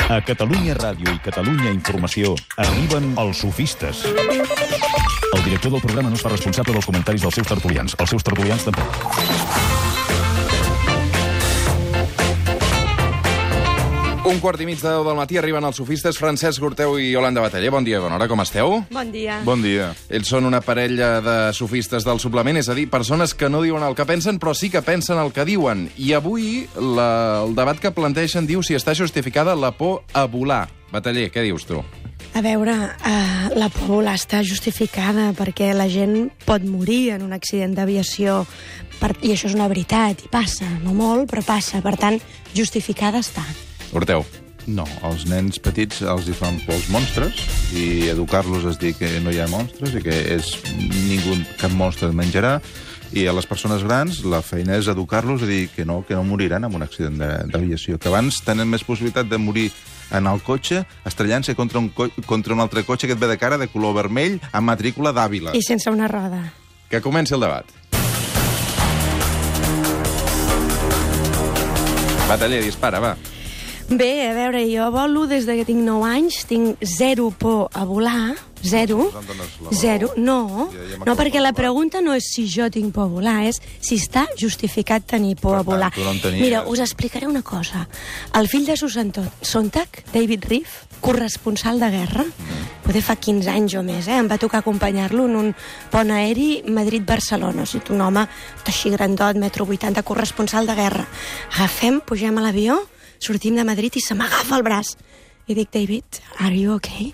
A Catalunya Ràdio i Catalunya Informació arriben els sofistes. El director del programa no es fa responsable dels comentaris dels seus tertulians. Els seus tertulians tampoc. Un quart i mig de 10 del matí arriben els sofistes Francesc Gurteu i Yolanda Bataller. Bon dia, bona hora, com esteu? Bon dia. Bon dia. Ells són una parella de sofistes del suplement, és a dir, persones que no diuen el que pensen, però sí que pensen el que diuen. I avui el debat que planteixen diu si està justificada la por a volar. Bataller, què dius tu? A veure, la por a volar està justificada perquè la gent pot morir en un accident d'aviació i això és una veritat, i passa, no molt, però passa. Per tant, justificada està. Gurteu. No, als nens petits els hi fan por els monstres i educar-los és dir que no hi ha monstres i que cap monstre el menjarà, i a les persones grans la feina és educar-los i dir que no moriran en un accident d'aviació, que abans tenen més possibilitat de morir en el cotxe estrellant-se contra un altre cotxe que et ve de cara de color vermell amb matrícula d'Àvila. I sense una roda. Que comenci el debat. Bataller, dispara, va. Bé, a veure, jo volo des que tinc 9 anys, tinc zero por a volar, zero, no, perquè la pregunta no és si jo tinc por a volar, és si està justificat tenir por a volar. Mira, us explicaré una cosa. El fill de Susan Sontag, David Reef, corresponsal de guerra, potser fa 15 anys o més, em va tocar acompanyar-lo en un pont aeri Madrid-Barcelona, o sigui, un home així grandot, 1,80 m, corresponsal de guerra. Agafem, pugem a l'avió, sortim de Madrid i se m'agafa el braç. I dic, David, are you okay?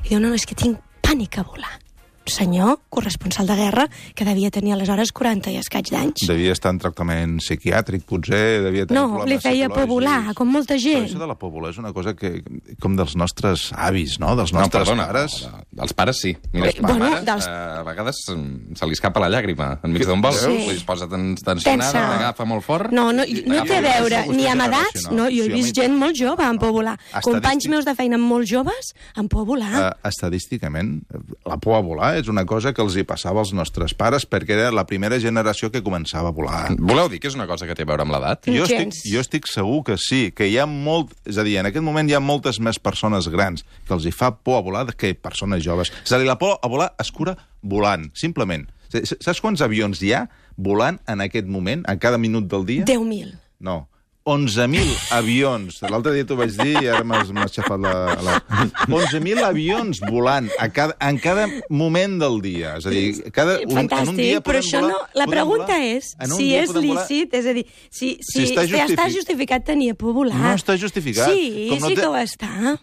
I diu, no, és que tinc pànic a volar. Senyor, corresponsal de guerra, que devia tenir aleshores 40 i escaig d'anys. Devia estar en tractament psiquiàtric, potser, devia tenir problemes li feia por volar, com molta gent. Però això de la por volar és una cosa que, com dels nostres avis, no? Dels nostres pares. Dels pares, sí. Mira, a vegades se li escapa la llàgrima enmig d'un vol. Sí. Es posa tensionada, l'agafa molt fort. No té a veure, ni amb edats. No, jo he vist gent molt jove amb por a volar. Companys meus de feina molt joves amb por a volar. Estadísticament, la por a volar és una cosa que els hi passava als nostres pares perquè era la primera generació que començava a volar. Voleu dir que és una cosa que té a veure amb l'edat? Jo estic segur que sí, que hi ha molt... És a dir, en aquest moment hi ha moltes més persones grans que els hi fa por a volar que persones joves. És a dir, la por a volar es cura volant, simplement. Saps quants avions hi ha volant en aquest moment, a cada minut del dia? 10.000. No. 11.000 avions. L'altre dia t'ho vaig dir i ara m'has aixafat la... 11.000 avions volant en cada moment del dia. És a dir, en un dia però això no... La pregunta és si és lícit, és a dir, si està justificat tenir por a volar. No està justificat. Sí que ho està.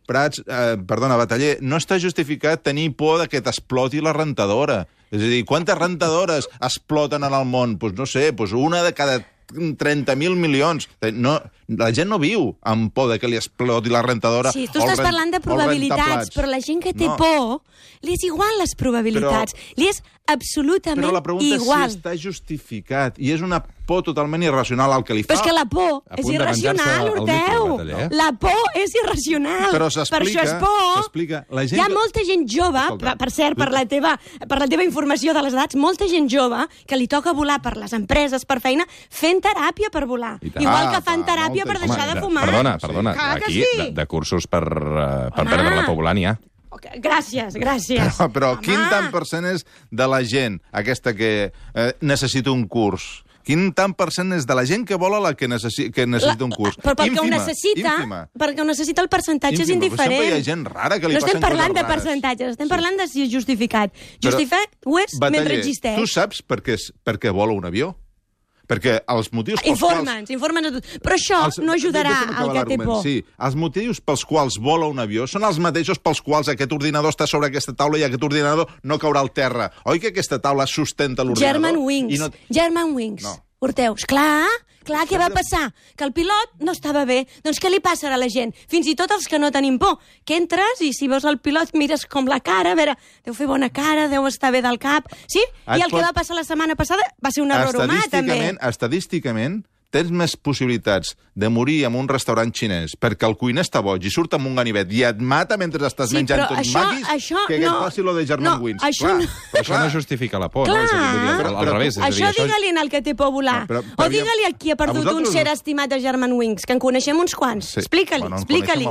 Prats, perdona, Bataller, no està justificat tenir por que t'exploti la rentadora. És a dir, quantes rentadores exploten en el món? Doncs no sé, una de cada 30.000 milions. No, la gent no viu amb por que li exploti la rentadora. Sí, tu estàs parlant de probabilitats, però la gent que té por, li és igual les probabilitats. Li és absolutament igual. Però la pregunta és si està justificat. I és una por totalment irracional al que li fa. Però és que la por és irracional, Gurteu. La por és irracional. Però s'explica. Per això és por. Hi ha molta gent jove, per cert, per la teva informació de les edats, molta gent jove que li toca volar per les empreses, per feina, fent teràpia per volar. Igual que fan teràpia per deixar de fumar. Perdona. Aquí, de cursos per perdre la por volant, hi ha. Gràcies. Però quin tant % és de la gent aquesta que necessita un curs? Quin tant % és de la gent que vola la que necessita un curs? Però perquè ho necessita el percentatge és indiferent. Sempre hi ha gent rara que li passen coses rares. No estem parlant de percentatges, estem parlant de si és justificat. Justificat ho és mentre existeix. Tu saps per què vola un avió? Perquè els motius pels quals... Informa'ns a tot. Però això no ajudarà al que té por. Sí, els motius pels quals vola un avió són els mateixos pels quals aquest ordinador està sobre aquesta taula i aquest ordinador no caurà al terra. Oi que aquesta taula sustenta l'ordinador? German Wings. No. Gurteu, clar, què va passar? Que el pilot no estava bé. Doncs què li passarà a la gent? Fins i tot els que no tenim por. Que entres i si veus el pilot mires com la cara, a veure, deu fer bona cara, deu estar bé del cap... Sí? I el que va passar la setmana passada va ser un error humà, també. Estadísticament, tens més possibilitats de morir en un restaurant xinès perquè el cuiner està boig i surt amb un ganivet i et mata mentre estàs menjant tots maquis que et passi lo de Germanwings. Però això no justifica la por, no? Al revés. Això digue-li al que té por volar. O digue-li a qui ha perdut un ser estimat de Germanwings, que en coneixem uns quants. Explica-li.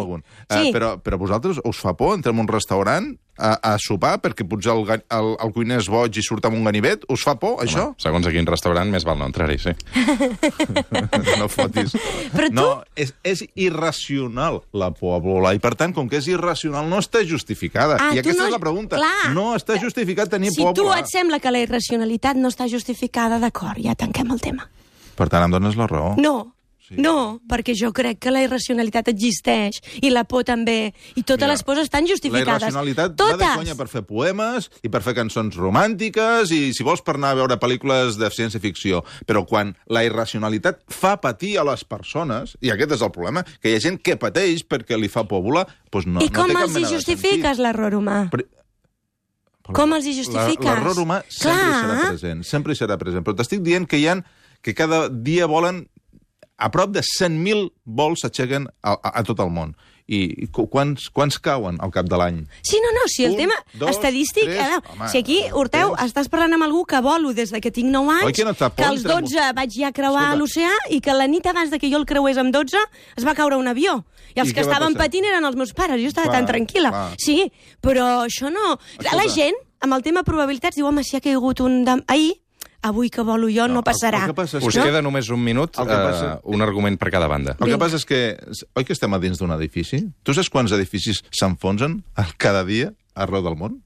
Però a vosaltres us fa por entrar en un restaurant a sopar perquè potser el cuiner és boig i surt amb un ganivet? Us fa por, això? Segons a quin restaurant, més val no entrar-hi, sí. No fotis. Però tu... No, és irracional la por a volar, i per tant, com que és irracional, no està justificada. I aquesta és la pregunta. No està justificat tenir por a volar. Si tu et sembla que la irracionalitat no està justificada, d'acord, ja tanquem el tema. Per tant, em dones la raó. No, perquè jo crec que la irracionalitat existeix, i la por també, i totes les pors estan justificades. La irracionalitat va de conya per fer poemes i per fer cançons romàntiques i, si vols, per anar a veure pel·lícules de ciència-ficció. Però quan la irracionalitat fa patir a les persones, i aquest és el problema, que hi ha gent que pateix perquè li fa por volar, doncs no té cap mena de sentit. I com els hi justifiques l'error humà? Com els hi justifiques? L'error humà sempre hi serà present. Però t'estic dient que cada dia volen a prop de 100.000 vols s'aixequen a tot el món. I quants cauen al cap de l'any? Sí, si el tema estadístic... Si aquí, Horteu, estàs parlant amb algú que volo des que tinc 9 anys, que als 12 vaig ja creuar l'oceà i que la nit abans que jo el creués amb 12 es va caure un avió. I els que estaven patint eren els meus pares. Jo estava tan tranquil·la. Sí, però això no... La gent, amb el tema probabilitats, diu, home, si ha caigut un... Ahir, avui que volo jo no passarà. Us queda només un minut, un argument per cada banda. El que passa és que, oi que estem a dins d'un edifici? Tu saps quants edificis s'enfonsen cada dia arreu del món?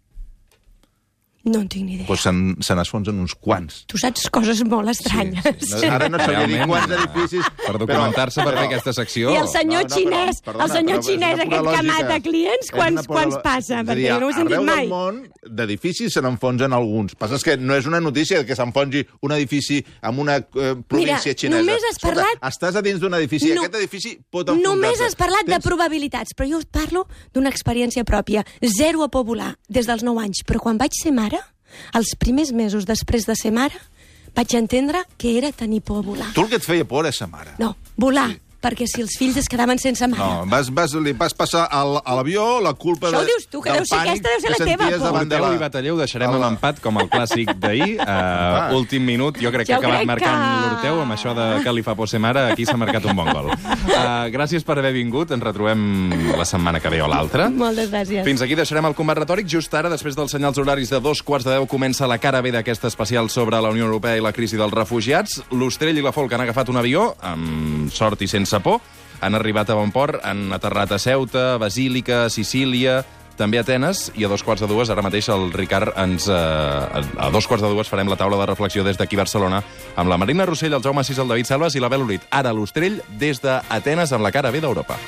No en tinc ni idea. Doncs se n'esfonsen uns quants. Tu saps coses molt estranyes. Sí. Ara no sabia dir quants edificis... Per documentar-se per fer aquesta secció... I el senyor xinès, aquest que mata clients, quants passa? Perquè no ho he sentit mai. Arreu del món, d'edificis se n'enfonsen alguns. Passa que no és una notícia que s'enfonsi un edifici en una província xinesa. Només has parlat... Estàs a dins d'un edifici i aquest edifici pot enfonsar-se. Només has parlat de probabilitats, però jo parlo d'una experiència pròpia. Zero a por volar des dels 9 anys, però quan vaig ser mare, els primers mesos després de ser mare, vaig entendre que era tenir por a volar. Tu el que et feia por és ser mare. No, volar. Sí. Perquè si els fills es quedaven sense mare... No, li vas passar a l'avió la culpa del pànic... Això ho dius tu, que deu ser aquesta, deu ser la teva por. Horteu i Batalleu deixarem l'empat com el clàssic d'ahir. Últim minut, jo crec que ha acabat marcant l'Horteu amb això de que li fa por ser mare. Aquí s'ha marcat un bon gol. Gràcies per haver vingut. Ens retrobem la setmana que ve o l'altra. Moltes gràcies. Fins aquí deixarem el combat retòric. Just ara, després dels senyals horaris de 2:15, comença la cara B d'aquesta especial sobre la Unió Europea i la crisi dels refugiats. L'Ostrell i la Folk han agafat un avió, amb sort i sense por, han arribat a bon port, han aterrat a Ceuta, Basílica, Sicília, també a Atenes, i a 2:15, ara mateix el Ricard a 2:15 farem la taula de reflexió des d'aquí Barcelona amb la Marina Rossell, el Jaume Sis, el David Salvas i la Bel Orit. Ara l'Ostrell des d'Atenes amb la cara B d'Europa.